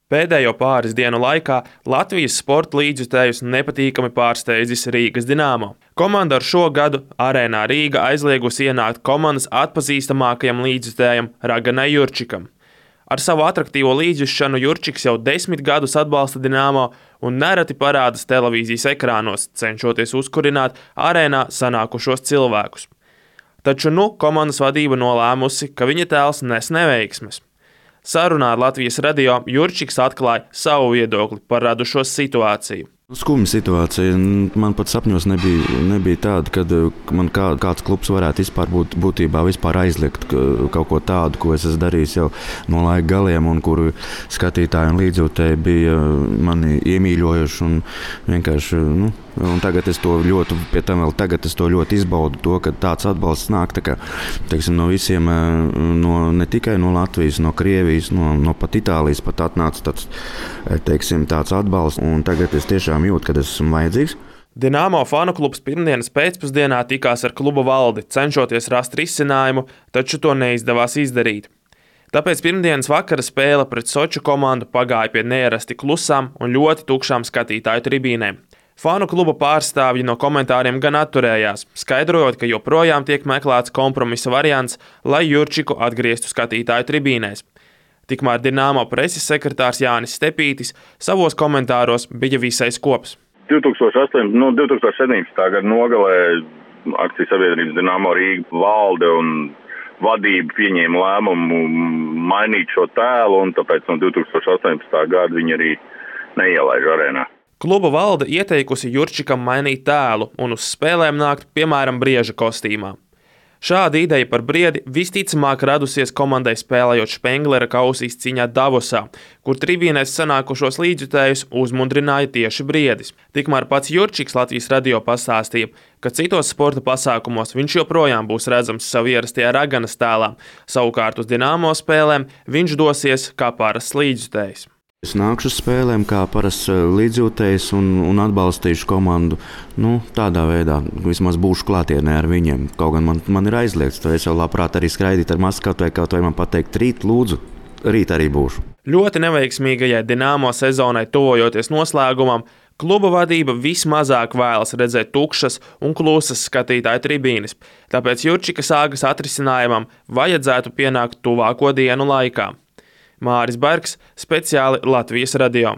Pēdējo pāris dienu laikā Latvijas sporta līdzjutējus nepatīkami pārsteidzis Rīgas Dināmo. Komanda ar šo gadu Arēnā Rīga aizliegusi ienākt komandas atpazīstamākajam līdzjutējam Raganai Jurčikam. Ar savu atraktīvo līdzjutšanu Jurčiks jau 10 gadus atbalsta Dināmo un nereti parādas televīzijas ekrānos, cenšoties uzkurināt arēnā sanākušos cilvēkus. Taču komandas vadība nolēmusi, ka viņa tēls nes neveiksmes. Sarunā ar Latvijas radio Jurčiks atklāja savu viedokli par radušos situāciju. Skumja situācija. Man pat sapņos nebija tāda, kad man kāds klubs varētu būtībā aizliegt kaut ko tādu, ko es esmu darījis jau no laika galiem, un kuru skatītāji un līdzjūtēji bija mani iemīļojuši. Un vienkārši, un tagad es to ļoti izbaudu, ka tāds atbalsts nāk no visiem, ne tikai no Latvijas, no Krievijas, no pat Itālijas pat atnāca tāds atbalsts, un tagad es tiešām jūtu, kad esmu vajadzīgs. Dināmo fanu klubs pirmdienas pēcpusdienā tikās ar kluba valdi, cenšoties rast risinājumu, taču to neizdevās izdarīt. Tāpēc pirmdienas vakara spēle pret Soču komandu pagāja pie neierasti klusām un ļoti tukšām skatītāju tribīnēm. Fanu kluba pārstāvji no komentāriem gan atturējās, skaidrojot, ka joprojām tiek meklēts kompromisa variants, lai Jurčiku atgrieztu skatītāju tribīnēs. Tikmēr Dināmo preses sekretārs Jānis Stepītis savos komentāros bija visai skops. 2017. gada nogalē akciju sabiedrības Dināmo Rīga valde un vadība pieņēma lēmumu mainīt šo tēlu, un tāpēc no 2018. gada viņi arī neielaiž arēnā. Kluba valde ieteikusi Jurčikam mainīt tēlu un uz spēlēm nākt, piemēram, Brieža kostīmā. Šāda ideja par Briedi visticamāk radusies komandai spēlējot Špenglera kausa izcīņā Davosā, kur tribīnēs sanākušos līdzjutējus uzmundrināja tieši Briedis. Tikmēr pats Jurčiks Latvijas radio pastāstīja, ka citos sporta pasākumos viņš joprojām būs redzams savu ierastajā Raganas tēlā, savukārt uz Dināmo spēlēm viņš dosies kā parasts līdzjutējs. Es nākšu uz spēlēm kā parasts līdzjūtējs un atbalstīšu komandu. Tādā veidā vismaz būšu klātienē ar viņiem. Kaut gan man ir aizliegts, to es jau labprāt arī skraidīt ar masku, kaut vai man pateikt rīt, lūdzu, rīt arī būšu. Ļoti neveiksmīgajai Dināmo sezonai tuvojoties noslēgumam, kluba vadība vismazāk vēlas redzēt tukšas un klusas skatītāju tribīnes, tāpēc Jurčika sāgas atrisinājumam vajadzētu pienākt tuvāko dienu laikā. Māris Bergs, speciāli Latvijas radio.